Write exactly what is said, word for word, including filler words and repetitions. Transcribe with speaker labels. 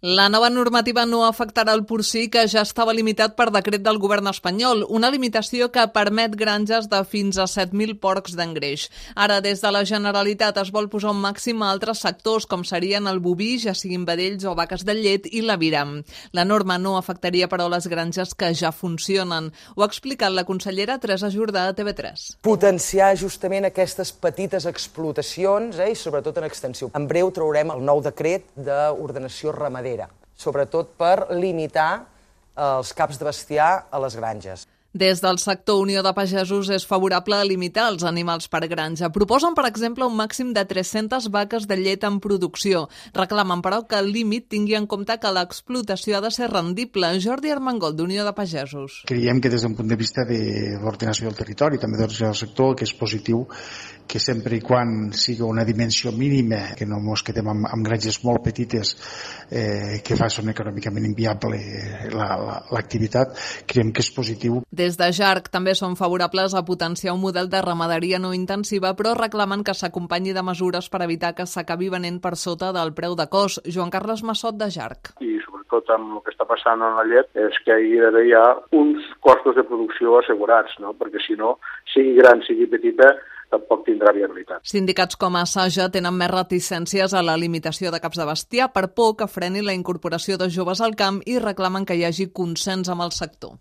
Speaker 1: La nova normativa no afectarà el porcí, que ja estava limitat per decret del govern espanyol, una limitació que permet granges de fins a set mil porcs d'engreix. Ara, des de la Generalitat, es vol posar un màxim a altres sectors, com serien el boví, ja siguin vedells o vaques de llet, i l'aviram. La norma no afectaria, però, les granges que ja funcionen. Ho ha explicat la consellera Teresa Jordà a T V tres.
Speaker 2: Potenciar justament aquestes petites explotacions, eh, i sobretot en extensió. En breu traurem el nou decret d'ordenació ramadera, sobretot per limitar els caps de bestiar a les granges.
Speaker 1: Des del sector Unió de Pagesos és favorable a limitar els animals per granja. Proposen, per exemple, un màxim de tres-centes vaques de llet en producció. Reclamen, però, que el límit tingui en compte que l'explotació ha de ser rendible. Jordi Armengol, d'Unió de Pagesos.
Speaker 3: Creiem que des d'un punt de vista de l'ordenació del territori, també del sector, que és positiu que sempre i quan sigui una dimensió mínima, que no ens quedem amb, amb granges molt petites eh, que fa són econòmicament inviable l'activitat, creiem que és positiu.
Speaker 1: Des de Jarc també són favorables a potenciar un model de ramaderia no intensiva, però reclamen que s'acompanyi de mesures per evitar que s'acabi venent per sota del preu de cost. Joan Carles Massot, de Jarc.
Speaker 4: I sobretot amb el que està passant en la llet és que hi ha d'haver ja uns costos de producció assegurats, no? Perquè si no, sigui gran, sigui petita, tampoc tindrà viabilitat.
Speaker 1: Sindicats com a Saja tenen més reticències a la limitació de caps de bestiar per por que freni la incorporació de joves al camp i reclamen que hi hagi consens amb el sector.